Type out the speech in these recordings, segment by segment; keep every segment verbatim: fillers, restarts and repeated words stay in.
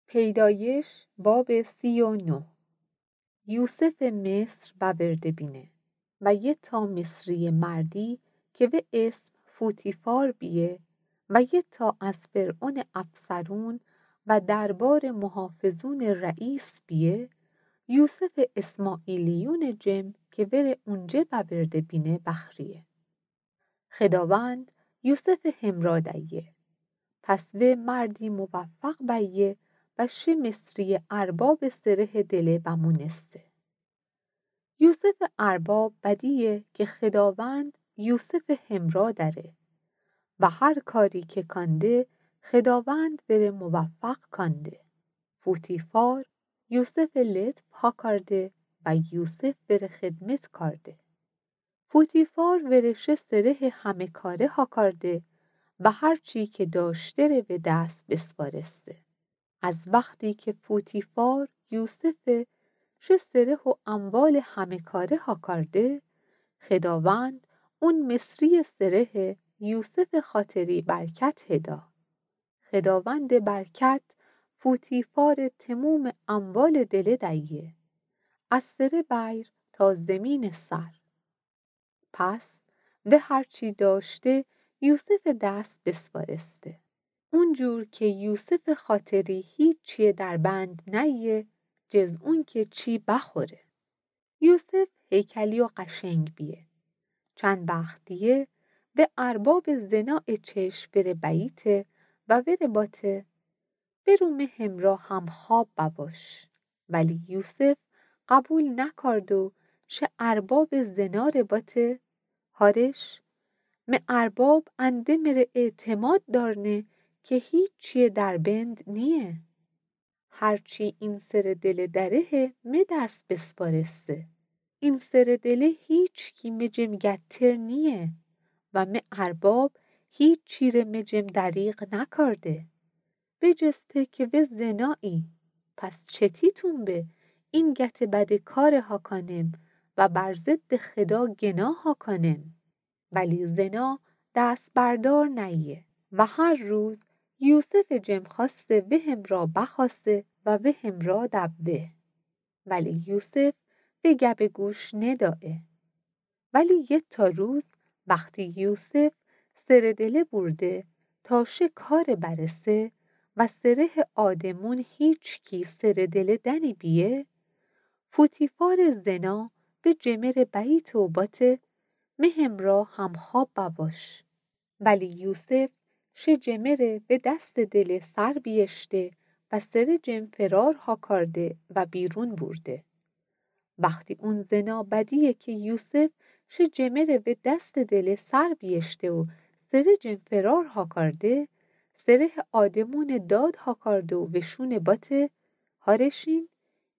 پیدایش باب سی و نه. یوسف مصر بأورده بینه و یه تا مصریه مردی که وی اسم فوتیفار بیه و یه تا از فرعون افسرون و دربار محافظون رئیس بیه، یوسف اسماعیلیون جم که وره اونجه بأورده بینه بخریه. خداوند یوسف همرا دیه. پس وی مردی موفق بیه و شه مصریه ارباب سره دله بمونسته. یوسف ارباب بدیه که خداوند یوسف همرا دأره و هر کاری که کانده خداوند وره موفق کانده. فوتیفار یوسف لطف هاکارده و یوسف وره خدمت کارده. فوتیفار وره شه سره همه کاره هاکارده و هر چی که داشته ره وی دس بسپارسته. از وختی که فوتیفار یوسف شه سره و اموال همه کاره هاکارده، خداوند اون مصری سره یوسف خاطری برکت هدا. خداوند برکت فوتیفار تموم اموال دله دیه، از سره بیر تا زمین سر. پس وی هر چی داشته یوسف دس بسپارسته. اونجور که یوسف خاطری هیچی دربند نیه، جز اون که چی بخوره. یوسف هیکلی و قشنگ بیه. چند وخت دیه وی ارباب زنا چشم وره بیته و وره باته: برو می همرا همخواب بباش. ولی یوسف قبول نکارد و شه ارباب زنا ره باته: هارش، می ارباب انده مره اعتماد دارنه که هیچی دربند نیه. هر چی این سره دله دره می دس بسپارسته. این سره دله هیچکی می جم گتر نیه و می ارباب هیچی ره می جم دریغ نکارده. بجسته که وی زنایی، پس چتیتون به این گت بده کاره هاکانم و بر ضد خدا گناه هاکانم؟ ولی زنا دس بردار نیه و هر روز یوسف جم خواسته وی همرا بخواسته و وی همرا دبه. ولی یوسف وی گبه گوش ندایه. ولی یه تا روز وختی یوسف سره دله بورده تا شه کاره برسه و سره آدمون هیچکی سره دله دنی بیه، فوتیفار زنا وی جمره بیته و باته: می همرا همخواب بباش. ولی یوسف شه جمره وی دست دله سر بیأشته و سره جم فرار هاکارده و بیرون بورده. وختی اون زنا بدیه که یوسف شه جمره وی دست دله سر بیأشته و سره جم فرار هاکارده، سره آدمون داد هاکارده و وشون باته: هارشین،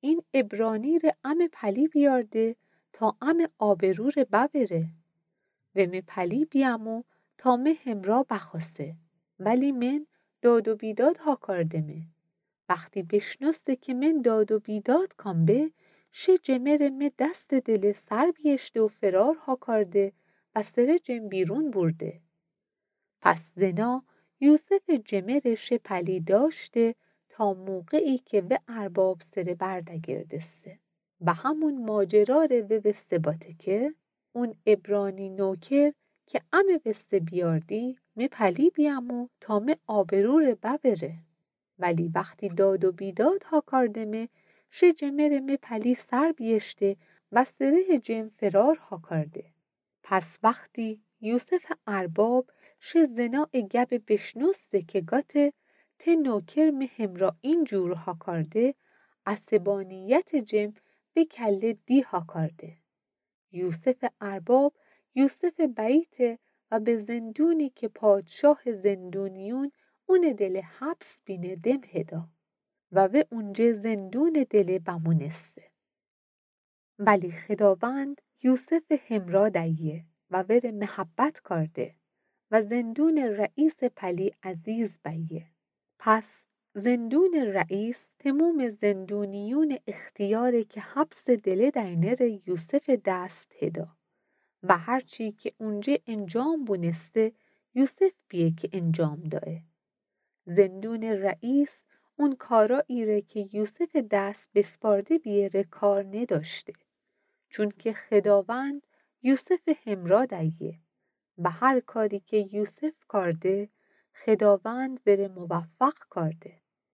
این عبرانی ره امه پلی بیارده تا امه آبرو ره ببره. و می پلی بیامو تا می همرا بخواسته، ولی من داد و بیداد هاکاردمه. وختی بشنوسته که من داد و بیداد کام به، شه جمره می دست دله سر بیأشته و فرار هاکارده و سره جم بیرون بورده. پس زنا یوسف جمره شه پلی داشته تا موقعی که وی ارباب سره بردگردسته و همون ماجرا ره ووسته باته که اون عبرانی نوکر که امه وسته بیاردی، می پلی بیامو تا می آبرو ره ببره. ولی وختی داد و بیداد هاکاردمه، شه جمره می پلی سر بیأشته و سره جم فرار هاکارده. پس وختی یوسف ارباب شه زنا گبه بشنوسته که گاته ته نوکر می همرا اینجور هاکارده، عصبانیت جم وی کله دی هاکارده. یوسف ارباب یوسف بیته و به زندونی که پادشاه زندونیون اون دله حبس بینه دم هدا و وی اونجه زندون دله بمونسته. ولی خداوند یوسف همرا دیه و وره محبت کارده و زندون رئیس پلی عزیز بیه. پس زندون رئیس تموم زندونیون اختیاره که حبس دله دینه ره یوسف دست هدا و هر چی که اونجه انجام بونسته یوسف بیه که انجام دایه. زندون رئیس اون کارأیی ره که یوسفٚ دس بسپارده بیه ره کار ندأشته، چونکه خداوند یوسفٚ همرأ دأیه و هر کاری که یوسف کارده، خداوند وره موفق کارده.